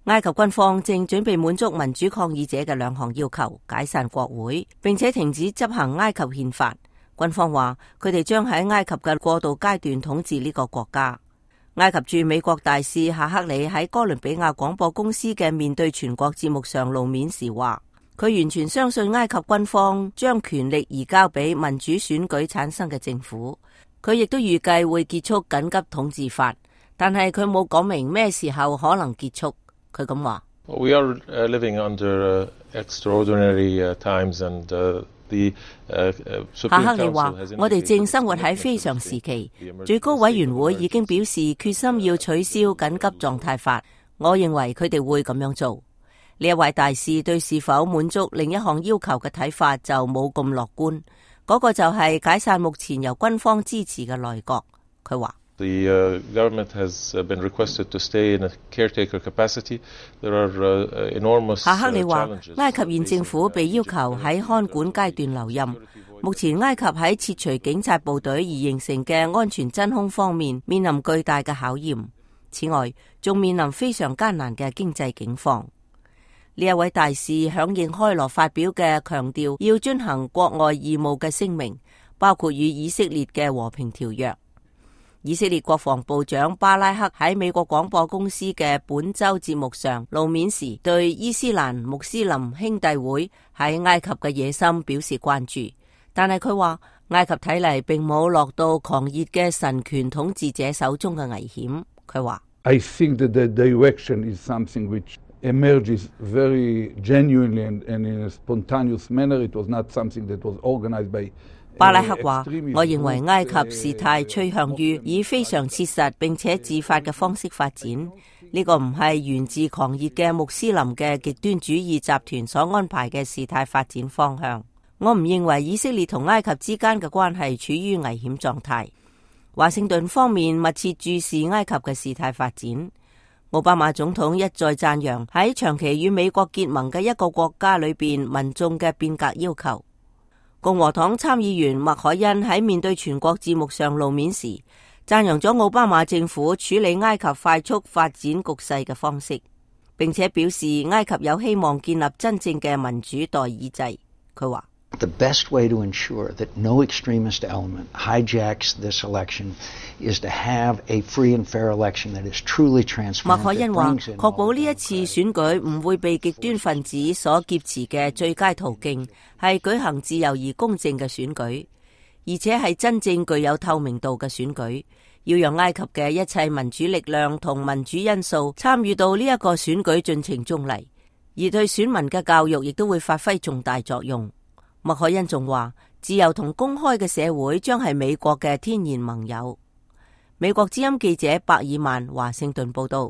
埃及軍方正準備滿足民主抗議者嘅2項要求，解散國會，並且停止執行埃及憲法。軍方話佢哋將喺埃及嘅過渡階段統治呢個國家。埃及駐美國大使夏克里喺哥倫比亞廣播公司嘅面對全國節目上露面時話，佢完全相信埃及軍方將權力移交俾民主選舉產生嘅政府。佢亦都預計會結束緊急統治法，但係佢冇講明咩時候可能結束。佢咁話：We are living under extraordinary times and夏克里話：我哋正生活喺非常時期，最高委員會已經表示決心要取消緊急狀態法。我認為佢哋會咁樣做。呢一位大使對是否滿足另一項要求嘅睇法就冇咁樂觀，嗰個就係解夏目前由軍方支持嘅內閣。佢話：The government has been requested to stay in a caretaker capacity. There are enormous 夏克里話，埃及現政府被要求喺看管階段留任。目前埃及喺撤除警察部隊而形成嘅安全真空方面面臨巨大嘅考驗。此外，仲面臨非常艱難嘅經濟境況。呢一位大使響應開羅發表嘅強調要遵行國外義務嘅聲明，包括與以色列嘅和平條約。以色列國防部長巴拉克喺美國廣播公司嘅本周節目上露面時，對伊斯蘭穆斯林兄弟會喺埃及嘅野心表示關注，但係佢話埃及睇嚟並冇落到狂熱嘅神權統治者手中嘅危險。佢話：I think that the direction is something which emerges very genuinely and in a spontaneous manner. It was not something that was organized by巴拉克話：我認為埃及事態趨向於以非常切實並且自發嘅方式發展，呢個唔係源自狂熱嘅穆斯林嘅極端主義集團所安排嘅事態發展方向。我唔認為以色列同埃及之間嘅關係處於危險狀態。華盛頓方面密切注視埃及嘅事態發展。奧巴馬總統一再讚揚喺長期與美國結盟嘅一個國家裏邊民眾嘅變革要求。共和黨參議員麥凱恩喺面對全國節目上露面時，讚揚咗奧巴馬政府處理埃及快速發展局勢嘅方式，並且表示埃及有希望建立真正嘅民主代議制。佢話：The best way to ensure that no extremist element hijacks this election is to have a free and fair election that is truly transparent. 麥凱恩話：確保呢一次選舉唔會被極端分子所劫持嘅最佳途徑係舉行自由而公正嘅選舉，而且係真正具有透明度嘅選舉。要讓埃及嘅一切民主力量同民主因素參與到呢一個選舉進程中嚟，而對選民嘅教育亦都會發揮重大作用。麥凱恩仲話：自由同公開嘅社會將係美國嘅天然盟友。美國之音記者伯爾曼華盛頓報道。